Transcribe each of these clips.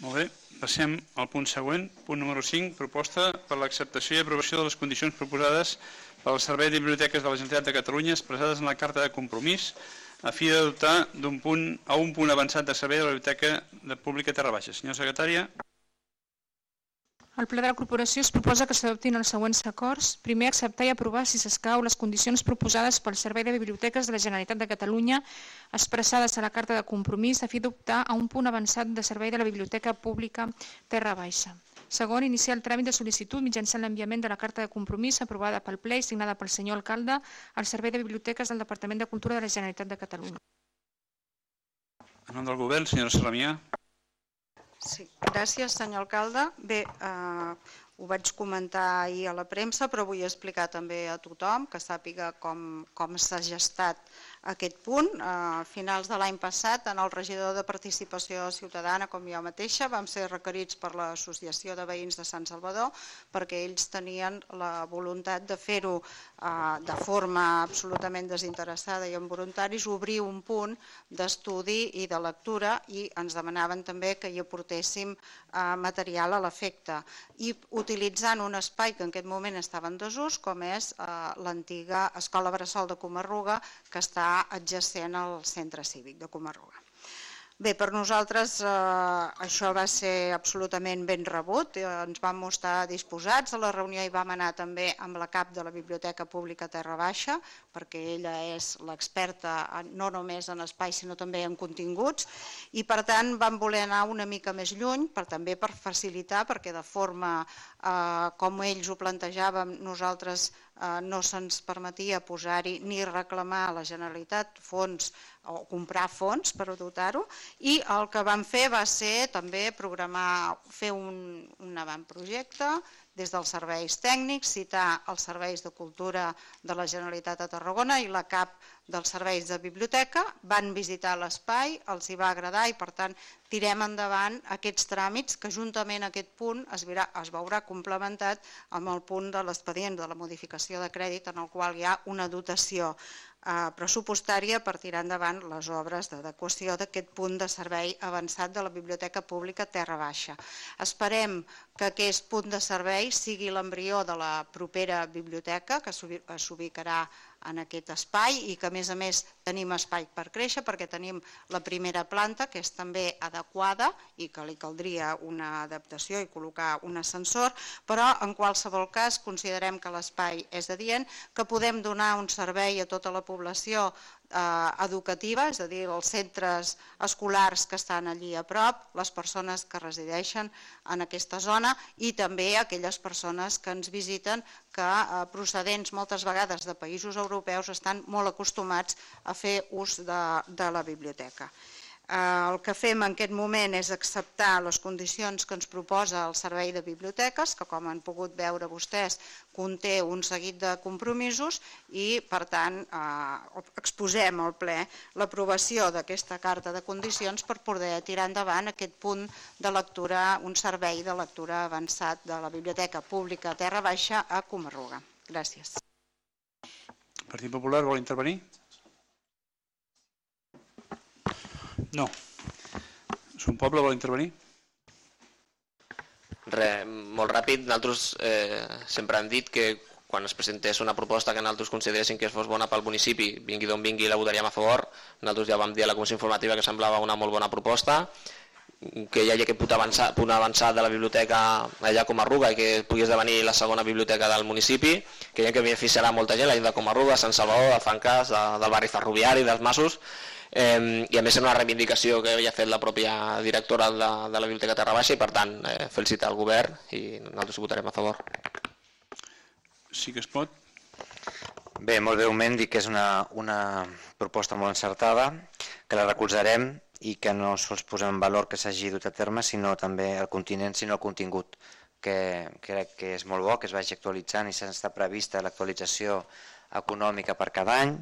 Molt bé, passem al punt següent, punt número 5, proposta per l'acceptació i aprovació de les condicions proposades pel Servei de Biblioteques de la Generalitat de Catalunya expressades en la carta de compromís a fi de dotar un punt avançat de servei de la Biblioteca Pública Terra Baixa. Senyora secretària. El Ple de la Corporació es proposa que s'adoptin els següents acords. Primer, acceptar i aprovar, si s'escau, les condicions proposades pel Servei de Biblioteques de la Generalitat de Catalunya expressades a la carta de compromís a fi d'optar a un punt avançat de servei de la Biblioteca Pública Terra Baixa. Segon, iniciar el tràmit de sol·licitud mitjançant l'enviament de la carta de compromís aprovada pel Ple i signada pel senyor alcalde al Servei de Biblioteques del Departament de Cultura de la Generalitat de Catalunya. En nom del govern, senyora Sarramià. Sí, gràcies, senyor alcalde. Bé, ho vaig comentar ahir a la premsa, però vull explicar també a tothom que sàpiga com s'ha gestat aquest punt. A finals de l'any passat, en el regidor de Participació Ciutadana, com jo mateixa, vam ser requerits per l'Associació de Veïns de Sant Salvador perquè ells tenien la voluntat de fer-ho de forma absolutament desinteressada i amb voluntaris, obrir un punt d'estudi i de lectura, i ens demanaven també que hi aportéssim material a l'efecte, i utilitzant un espai que en aquest moment estava en desús, com és l'antiga Escola Bressol de Comarruga, que està adjacent al centre cívic de Comarruga. Bé, per nosaltres això va ser absolutament ben rebut, ens vam mostrar disposats. A la reunió hi vam anar també amb la cap de la Biblioteca Pública Terra Baixa, perquè ella és l'experta no només en espai sinó també en continguts, i per tant vam voler anar una mica més lluny, també per facilitar, perquè de forma com ells ho plantejàvem, nosaltres no se'ns permetia posar-hi ni reclamar a la Generalitat fons o comprar fons per dotar-ho, i el que vam fer va ser també fer un avantprojecte des dels serveis tècnics, citar els serveis de cultura de la Generalitat de Tarragona i la cap dels serveis de biblioteca, van visitar l'espai, els hi va agradar i per tant tirem endavant aquests tràmits que juntament a aquest punt es veurà complementat amb el punt de l'expedient de la modificació de crèdit en el qual hi ha una dotació pressupostària per tirar endavant les obres d'adequació d'aquest punt de servei avançat de la Biblioteca Pública Terra Baixa. Esperem que aquest punt de servei sigui l'embrió de la propera biblioteca que s'ubicarà en aquest espai i que a més tenim espai per créixer perquè tenim la primera planta que és també adequada i que li caldria una adaptació i col·locar un ascensor, però en qualsevol cas considerem que l'espai és adient, que podem donar un servei a tota la població educativa, és a dir, els centres escolars que estan allí a prop, les persones que resideixen en aquesta zona i també aquelles persones que ens visiten que procedents moltes vegades de països europeus estan molt acostumats a fer ús de la biblioteca. El que fem en aquest moment és acceptar les condicions que ens proposa el Servei de Biblioteques, que com han pogut veure vostès conté un seguit de compromisos i per tant exposem al ple l'aprovació d'aquesta carta de condicions per poder tirar endavant aquest punt de lectura, un servei de lectura avançat de la Biblioteca Pública Terra Baixa a Comarruga. Gràcies. El Partit Popular vol intervenir? No. Son Poble vol intervenir? Res, molt ràpid. Nosaltres sempre hem dit que quan es presentés una proposta que nosaltres consideréssim que fos bona pel municipi, vingui d'on vingui, la votaríem a favor. Nosaltres ja vam dir a la comissió informativa que semblava una molt bona proposta, que hi hagi aquest punt avançat de la biblioteca allà a Comarruga i que pugui esdevenir la segona biblioteca del municipi, que ja que beneficiarà molta gent, la gent de Comarruga, Sant Salvador, de Fancàs, del barri ferroviari, dels Masos, i a més és una reivindicació que havia fet la pròpia directora de la Biblioteca Terra Baixa i per tant felicitar el govern i nosaltres votarem a favor. Sí que es pot. Bé, molt breument dic que és una proposta molt encertada, que la recolzarem i que no sols posem en valor que s'hagi dut a terme, sinó també el continent, sinó el contingut, que crec que és molt bo, que es vagi actualitzant i s'està prevista l'actualització econòmica per cada any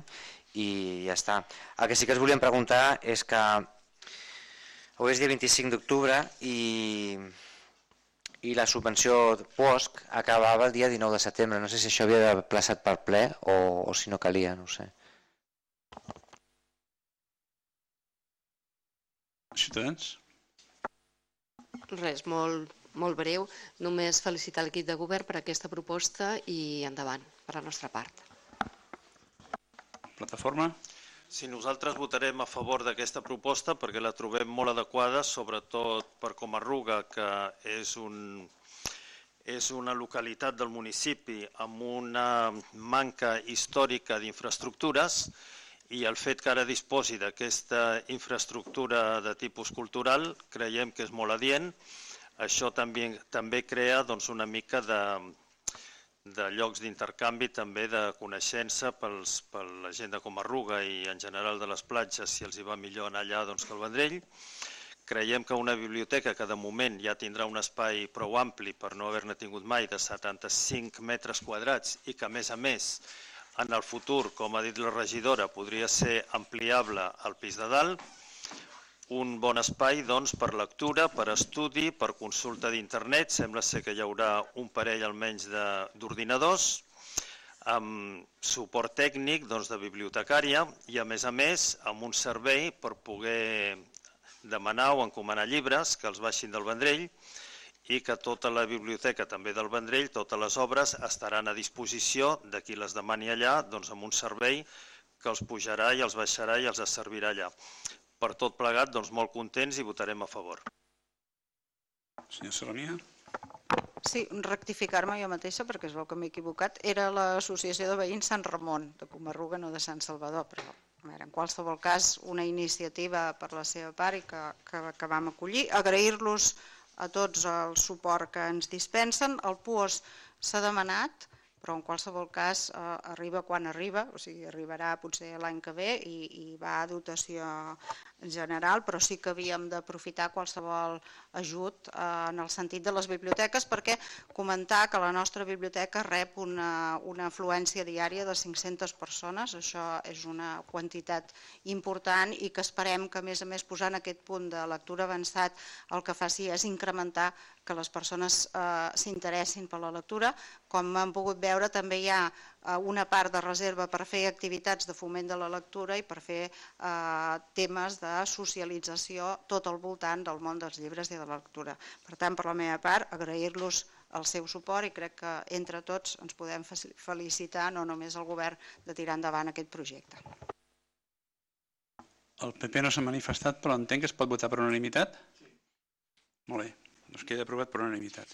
i ja està. El que sí que us volíem preguntar és que avui és dia 25 d'octubre i la subvenció POSC acabava el dia 19 de setembre. No sé si això havia d'haver plaçat per ple o si no calia, no ho sé. Ciutadans? Res, molt breu. Només felicitar l'equip de govern per aquesta proposta i endavant, per la nostra part. Plataforma? Sí, nosaltres votarem a favor d'aquesta proposta perquè la trobem molt adequada, sobretot per Comarruga, que és una localitat del municipi amb una manca històrica d'infraestructures, i el fet que ara disposi d'aquesta infraestructura de tipus cultural creiem que és molt adient. Això també crea una mica de llocs d'intercanvi, també de coneixença per la gent de Comarruga i en general de les platges, si els hi va millor anar allà que al Vendrell. Creiem que una biblioteca que de moment ja tindrà un espai prou ampli per no haver-ne tingut mai, de 75 metres quadrats, i que a més en el futur, com ha dit la regidora, podria ser ampliable al pis de dalt. Un bon espai per lectura, per estudi, per consulta d'internet. Sembla ser que hi haurà un parell almenys d'ordinadors, amb suport tècnic de bibliotecària i a més amb un servei per poder demanar o encomanar llibres que els baixin del Vendrell, i que tota la biblioteca també del Vendrell, totes les obres estaran a disposició de qui les demani allà, amb un servei que els pujarà i els baixarà i els servirà allà. Per tot plegat, molt contents i votarem a favor. Senyor Salomia? Sí, rectificar-me jo mateixa, perquè es veu que m'he equivocat. Era l'Associació de Veïns Sant Ramon, de Comarruga, no de Sant Salvador, però en qualsevol cas una iniciativa per la seva part i que vam acollir. Agrair-los a tots el suport que ens dispensen. El PUOS s'ha demanat, però en qualsevol cas arriba quan arriba, o sigui, arribarà potser l'any que ve i va a dotació general, però sí que havíem d'aprofitar qualsevol ajut en el sentit de les biblioteques, perquè comentar que la nostra biblioteca rep una afluència diària de 500 persones, això és una quantitat important i que esperem que a més posant aquest punt de lectura avançat el que faci és incrementar que les persones s'interessin per la lectura. Com han pogut veure, també hi ha una part de reserva per fer activitats de foment de la lectura i per fer temes de socialització tot al voltant del món dels llibres i de la lectura. Per tant, per la meva part, agrair-los el seu suport i crec que entre tots ens podem felicitar, no només el govern, de tirar endavant aquest projecte. El PP no s'ha manifestat, però entenc que es pot votar per unanimitat? Sí. Molt bé, doncs queda aprovat per unanimitat.